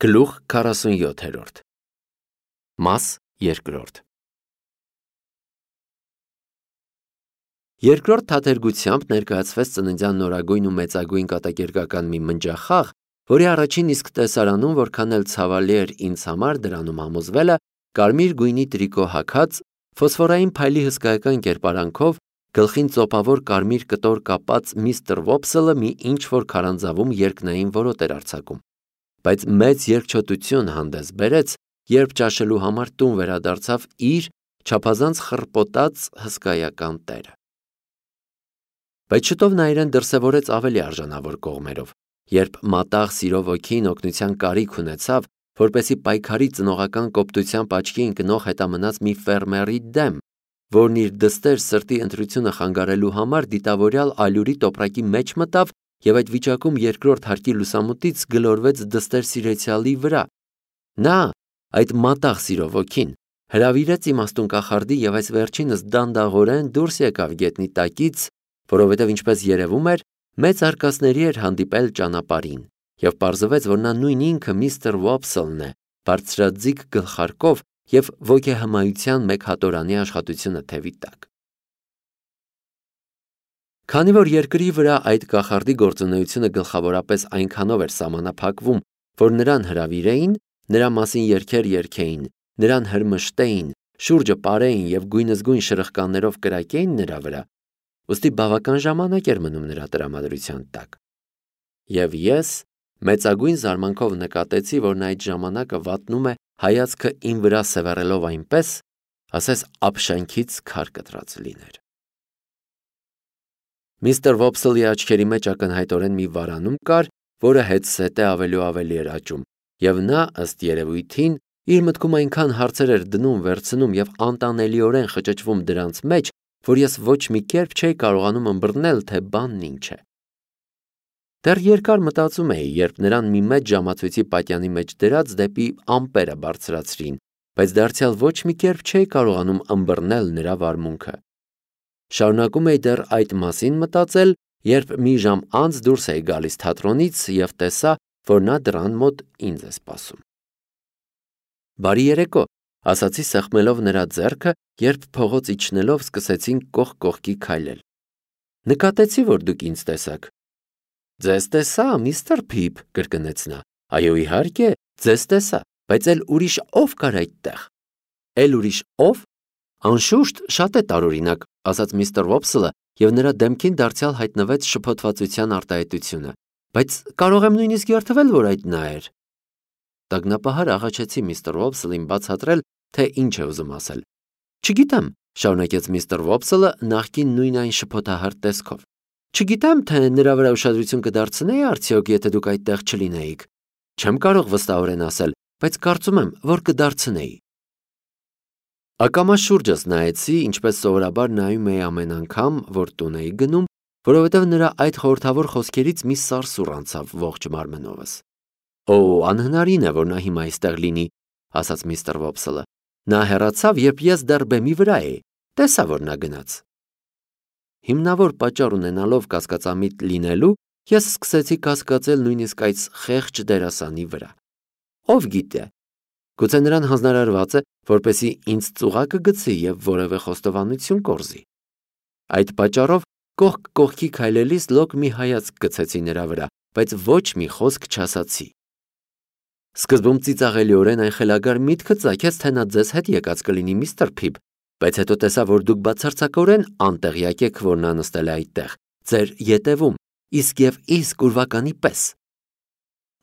Գլուխ 47 Մաս 2 Երկրորդ թատերգությամբ ներկայացվեց ծննդյան նորագույն ու մեծագույն կատակերգական մի մնջախաղ, որի առաջին իսկ տեսարանում, որքան էլ ցավալի էր ինձ համար դրանում համոզվելը, կարմիր գույնի տրիկո հագած, ֆոսֆորային փայլի հսկայական կերպարանքով, գլխին ծոպավոր կարմիր կտոր կապած միստր Վոփսելը մի ինչ-որ քարանձավում երկնային որոտ էր արձակում, բայց մեծ երկչոտություն հանդես բերեց, երբ ճաշելու համար տուն վերադարձավ իր չափազանց խռպոտած հսկայական տերը։ Բայց շուտով նա իրեն դրսևորեց ավելի արժանավոր կողմերով, երբ մատաղ սիրով ոգին օգնության կարիք ունեցավ, որպեսզի պայքարի ծնողական կոպտությամբ աչքի ընկնող հետամնաց մի ֆերմերի դեմ, որն իր դստեր սրտի ընտրությունը խանգարելու համար դիտավորյալ ալյուրի տոպրակի մեջ մտավ և այդ վիճակում երկրորդ հարկի լուսամուտից գլորվեց դստեր սիրեցյալի վրա։ Նա, այդ մատաղ սիրով ոգին, հրավիրեց իմաստուն կախարդի և այս վերջինս դանդաղորեն դուրս եկավ գետնի տակից, որովհետև ինչպես երևում էր, մեծ արկածների էր հանդիպել ճանապարհին, և պարզվեց, որ նա նույն ինքը միստր Վոփսելն է, բարձրաձիգ գլխարկով և ոգեհմայության մեկ հատորանի աշխատությունը թևի տակ։ Քանի որ երկրի վրա այդ կախարդի գործունեությունը գլխավորապես այնքանով էր սահմանափակվում, որ նրան հրավիրեին, նրա մասին երգեր երգեին, նրան հրմշտեին, շուրջը պարեին և գույնզգույն շրխկաներով կրակեին նրա վրա, ուստի բավական ժամանակ էր մնում նրա տրամադրության տակ։ Եվ ես մեծագույն զարմանքով նկատեցի, որ նա այդ ժամանակը վատնում է հայացքը իմ վրա սևեռելով այնպես, ասես ափշանքից քար կտրած լիներ։ Միստր Վոփսելի աչքերի մեջ ակնհայտորեն մի վարանում կար, որը հետզհետե ավելի ու ավելի էր աճում, և նա, ըստ երևույթին, իր մտքում այնքան հարցեր էր դնում, վերցնում և անտանելիորեն խճճվում դրանց մեջ, որ ես ոչ մի կերպ չէի կարողանում ըմբռնել, թե բանն ինչ է։ Դեռ երկար մտածում էի, երբ նրան մի մեծ ժամացույցի պատյանի մեջ դրած դեպի ամպերը բարձրացրին, բայց դարձյալ ոչ մի կերպ չէի կարողանում ըմբռնել նրա վարմունքը։ Շարունակում էի դեռ այդ մասին մտածել, երբ մի ժամ անց դուրս էի գալիս թատրոնից և տեսա, որ նա դռան մոտ ինձ է սպասում։ Բարի երեկո, ասացի սեղմելով նրա ձեռքը, երբ փողոց իջնելով սկսեցինք կողք կողքի քայլել։ Նկատեցի, որ դուք ինձ տեսաք։ Ձեզ տեսա, միստր Փիփ, կրկնեց նա։ Այո, իհարկե, ձեզ տեսա, բայց էլ ուրիշ ով կար այդտեղ։ Էլ ուրիշ ով։ Անշուշտ, շատ է տարօրինակ, ասաց միստր Վոփսելը, և նրա դեմքին դարձյալ հայտնվեց շփոթվածության արտահայտությունը, բայց կարող եմ նույնիսկ երդվել, որ այդ նա էր։ Տագնապահար աղաչեցի միստր Վոփսելին բացատրել, թե ինչ է ուզում ասել։ Չգիտեմ, շարունակեց միստր Վոփսելը նախկին նույն այն շփոթահար տեսքով։ Չգիտեմ, թե նրա վրա ուշադրություն կդարձնեի արդյոք, եթե դուք այդտեղ չլինեիք։ Չեմ կարող վստահորեն ասել, բայց կարծում եմ, որ կդարձնեի։ Ակամա շուրջս նայեցի, ինչպես սովորաբար նայում էի ամեն անգամ, որ տուն էի գնում, որովհետև նրա այդ խորհրդավոր խոսքերից մի սարսուռ անցավ ողջ մարմնովս։ Օ, անհնարին է, որ նա հիմա այստեղ լինի, ասաց միստր Վոփսելը։ Նա հեռացավ, երբ ես դեռ բեմի վրա էի, տեսա, որ նա գնաց։ Հիմնավոր պատճառ ունենալով կասկածամիտ լինելու, ես սկսեցի կասկածել նույնիսկ այդ խեղճ դերասանի վրա։ Ով գիտե, գուցե նրան հանձնարարված է, որպեսզի ինձ ծուղակը գցի և որևէ խոստովանություն կորզի։ Այդ պատճառով կողք կողքի քայլելիս լոկ մի հայացք գցեցի նրա վրա, բայց ոչ մի խոսք չասացի։ Սկզբում ծիծաղելիորեն այն խելագար միտքը ծագեց, թե նա ձեզ հետ եկած կլինի, միստր Փիփ, բայց հետո տեսա, որ դուք բացարձակորեն անտեղյակ եք, որ նա նստել է այդտեղ, ձեր ետևում, իսկ ուրվականի պես։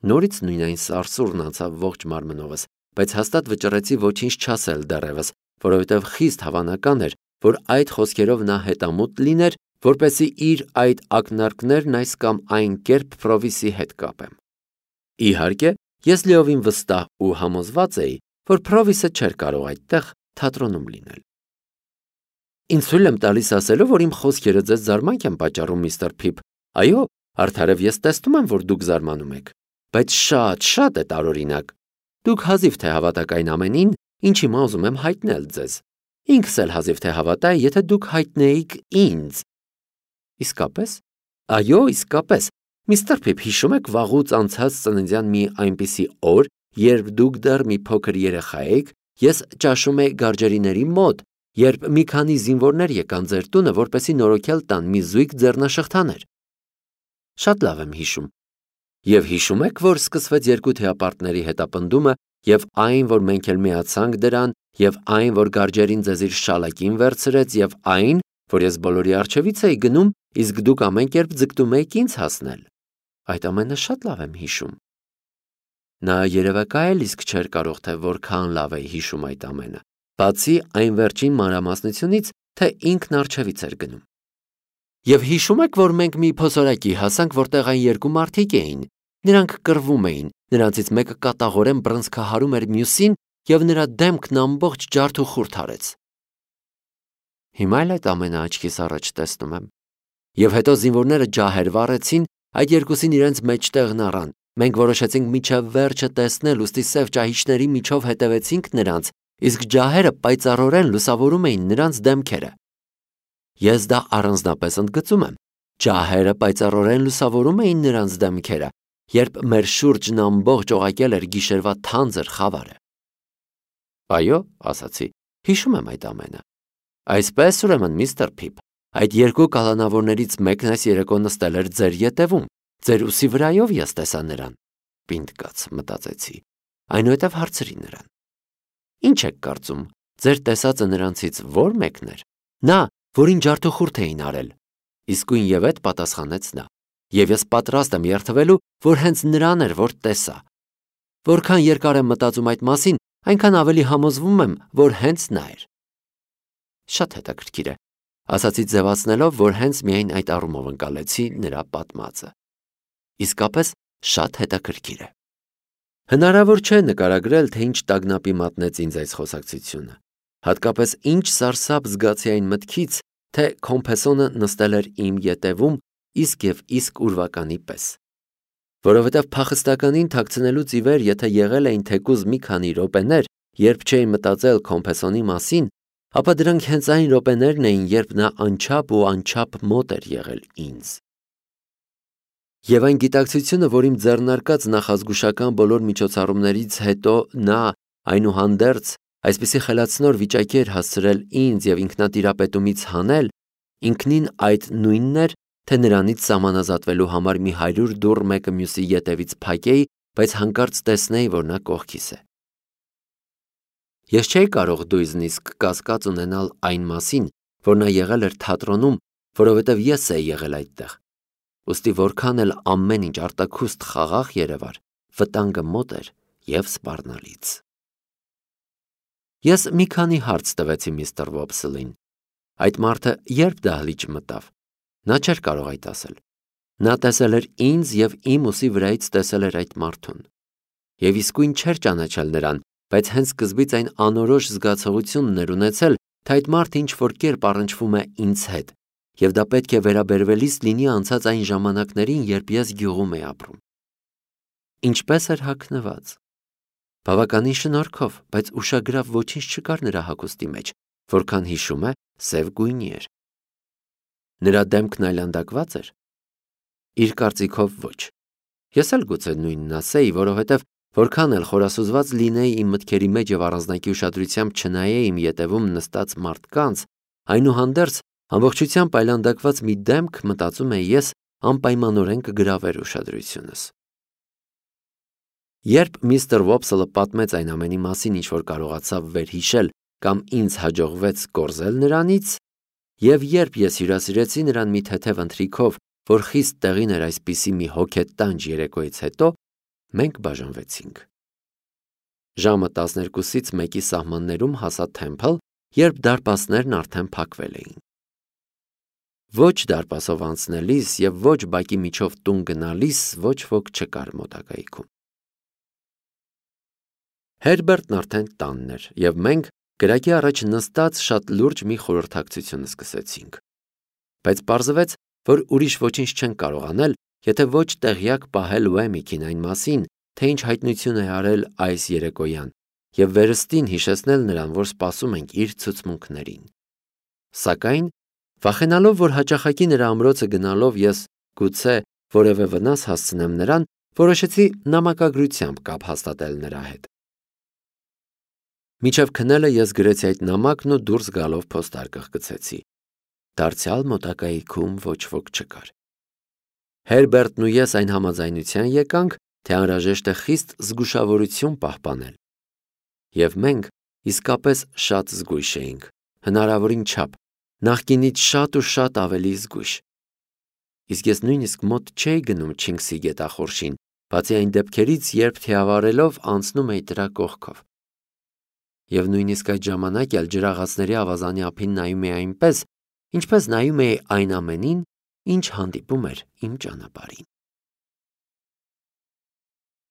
Նորից նույն այն սարսուռն անցավ ողջ մարմնովս, բայց հաստատ վճռեցի ոչինչ չասել դեռևս, որովհետև խիստ հավանական էր, որ այդ խոսքերով նա հետամուտ լիներ, որպեսզի իր այդ ակնարկներն այս կամ այն կերպ Փրովիսի հետ կապեմ։ Իհարկե, ես լիովին վստահ ու համոզված էի, որ Փրովիսը չէր կարող այդտեղ թատրոնում լինել։ Ինձ թույլ եմ տալիս ասելու, որ իմ խոսքերը ձեզ զարմանք են պատճառում, միստր Փիփ։ Այո, արդարև ես տեսնում եմ, որ դուք զարմանում եք, բայց շատ է տարօրինակ։ Դուք հազիվ թե հավատաք այն ամենին, ինչ հիմա ուզում եմ հայտնել ձեզ։ Ինքս էլ հազիվ թե հավատայի, եթե դուք հայտնեիք ինձ։ Իսկապես։ Այո, իսկապես։ Միստր Փիփ, հիշում եք վաղուց անցած ծննդյան մի այնպիսի օր, երբ դուք դեռ մի փոքր երեխա եք, ես ճաշում էի գարջերիների մոտ, երբ մի քանի զինվորներ եկան ձեր տունը, որպեսզի նորոգել տան մի զույգ ձեռնաշղթաներ։ Շատ լավ եմ հիշում։ Եվ հիշում եք, որ սկսվեց երկու թեապարտների հետապնդումը, եւ այն, որ մենք էլ միացանք դրան, եւ այն, որ գարջերին ձեզ իր շալակին վերցրեց, եւ այն, որ ես բոլորի առջևից էի գնում, իսկ դուք ամեն կերպ ձգտում եք ինձ հասնել։ Այդ ամենը շատ լավ եմ հիշում։ Նա երևակայ էլ իսկ չէր կարող, թե որքան լավ է հիշում այդ ամենը, բացի այն վերջին մանրամասնությունից, թե ինքն առջևից էր գնում։ Եվ հիշում եք, որ մենք մի փոսորակի հասանք, որտեղ այն երկու մարդիկ էին։ Նրանք կռվում էին, նրանցից մեկը կատաղորեն բռնցքահարում էր մյուսին, եւ նրա դեմքն ամբողջ ջարդ ու խուրդ արեց։ Հիմա էլ այդ ամենը աչքիս առաջ տեսնում եմ։ Եվ հետո զինվորները ջահեր վառեցին, այդ երկուսին իրենց մեջտեղն առան։ Մենք որոշեցինք մինչև վերջը տեսնել, ուստի սև ճահիճների միջով հետևեցինք նրանց, իսկ ջահերը պայծառորեն լուսավորում էին նրանց դեմքերը։ Ես դա առանձնապես ընդգծում եմ։ Ջահերը պայծառորեն լուսավորում էին նրանց դեմքերը, երբ մեր շուրջն ամբողջ օղակել էր գիշերվա թանձր խավարը։ Այո, ասացի, հիշում եմ այդ ամենը։ Այսպես ուրեմն, միստր Փիփ, այդ երկու կալանավորներից մեկն այս երեկո նստել էր ձեր ետևում, ձեր ուսի վրայով ես տեսա նրան։ Պինդ կաց, մտածեցի, այնուհետև հարցրի նրան. Ինչ եք կարծում, ձեր տեսածը նրանցից ո՞ր մեկն էր։ Նա, որին ջարդուխուրդ էին արել։ Իսկույն եւ այդ պատասխանեց նա։ Եվ ես պատրաստ եմ երդվելու, որ հենց նրան էր, որ տեսա։ Որքան երկար եմ մտածում այդ մասին, այնքան ավելի համոզվում եմ, որ հենց նա էր։ Շատ հետաքրքիր է, ասացի ձևացնելով, որ հենց միայն այդ առումով ընկալեցի նրա պատմածը։ Իսկապես շատ հետաքրքիր է։ Հնարավոր չէ նկարագրել, թե ինչ տագնապի մատնեց ինձ այս խոսակցությունը։ Հատկապես ինչ սարսափ զգացի այն մտքից, թե Քոմփեսոնը նստել էր իմ ետևում իսկ եւ իսկ ուրվականի պես։ Որովհետև փախստականին թաքցնելուց ի վեր, եթե եղել էին թեկուզ մի քանի րոպեներ, երբ չէին մտածել Քոմփեսոնի մասին, ապա դրանք հենց այն րոպեներն էին, երբ նա անչափ ու անչափ մոտ էր եղել ինձ։ Եվ այն գիտակցությունը, որ իմ ձեռնարկած նախազգուշական բոլոր միջոցառումներից հետո նա, այնուհանդերձ, այսպիսի խելացնոր վիճակի էր հասցրել ինձ եւ ինքնատիրապետումից հանել, ինքնին այդ նույնն էր, թե նրանից սահմանազատվելու համար մի 100 դուռ մեկը մյուսի ետևից փակեի, բայց հանկարծ տեսնեի, որ նա կողքիս է։ Ես չէի կարող դույզնիսկ կասկած ունենալ այն մասին, որ նա եղել էր թատրոնում, որովհետև ես էի եղել այդտեղ։ Ուստի որքան էլ ամեն ինչ արտաքուստ խաղաղ երևար, վտանգը մոտ էր եւ սպառնալից։ Ես մի քանի հարց տվեցի միստր Վոբսլին։ Այդ մարդը երբ դահլիճ մտավ, նա չէր կարող այդ ասել։ Նա տեսել էր ինձ եւ իմ ուսի վրայից տեսել էր այդ մարդուն։ Եվ իսկույն չէր ճանաչել նրան, բայց հենց սկզբից այն անորոշ զգացողությունն էր ունեցել, թե այդ մարդը ինչ-որ կերպ առնչվում է ինձ հետ, եւ դա պետք է վերաբերվելիս լինի անցած այն ժամանակներին, երբ ես գյուղում էի ապրում։ Ինչպես էր հագնված։ Բավականին շնորհքով, բայց ուշագրավ ոչինչ չկար նրա հագուստի մեջ, որքան հիշում է, սև գույնի էր։ Նրա դեմքն այլանդակված էր։ Իր կարծիքով ոչ։ Ես էլ գուցե նույնն ասեի, որովհետև որքան էլ խորասուզված լինեի իմ մտքերի մեջ եւ առանձնակի ուշադրությամբ չնայեի իմ ետևում նստած մարդկանց, այնուհանդերձ ամբողջությամբ այլանդակված մի դեմք, մտածում էի ես, անպայմանորեն կգրավեր ուշադրությունս։ Երբ միստր Վոբսլը պատմեց այն ամենի մասին, ինչ որ կարողացավ վերհիշել կամ ինձ հաջողվեց կորզել նրանից, եւ երբ ես հյուրասիրեցի նրան մի թեթև ընթրիքով, որ խիստ տեղին էր այսպիսի մի հոգետանջ երեկոյից հետո, մենք բաժանվեցինք։ Ժամը 12-ից 1-ի սահմաններում հասա Թեմփլ, երբ դարպասներն արդեն փակվել էին։ Ոչ դարպասով անցնելիս եւ ոչ բակի միջով տուն գնալիս ոչ ոք չկար մոտակայքում։ Հերբերտն արդեն տանն էր, եւ մենք գրակի առաջ նստած շատ լուրջ մի խորհրդակցություն սկսեցինք։ Բայց պարզվեց, որ ուրիշ ոչինչ չեն կարող անել, եթե ոչ տեղյակ պահել Ուեմիքին այն մասին, թե ինչ հայտնություն է արել այս երեկոյան, եւ վերստին հիշեցնել նրան, որ սպասում ենք իր ցուցմունքներին։ Սակայն, վախենալով, որ հաճախակի նրա ամրոցը գնալով ես գուցե որևէ վնաս հասցնեմ նրան, Որոշեցի նամակագրությամբ կապ հաստատել նրա հետ։ Մինչև քնելը ես գրեցի այդ նամակն ու դուրս գալով փոստարկղ գցեցի։ Դարձյալ մոտակայքում ոչ ոք չկար։ Հերբերտն ու ես այն համաձայնության եկանք, թե անհրաժեշտ է խիստ զգուշավորություն պահպանել։ Եվ մենք իսկապես շատ զգույշ էինք, հնարավորին չափ, նախկինից շատ ու շատ ավելի զգույշ։ Իսկ ես նույնիսկ մոտ չէի գնում Չինգսի գետախորշին, բացի այն դեպքերից, երբ թիավարելով անցնում էի դրա կողքով։ Եվ նույնիսկ այդ ժամանակ էլ ջրաղացների ավազանի ափին նայում էի այնպես, ինչպես նայում էի այն ամենին, ինչ հանդիպում էր իմ ճանապարհին։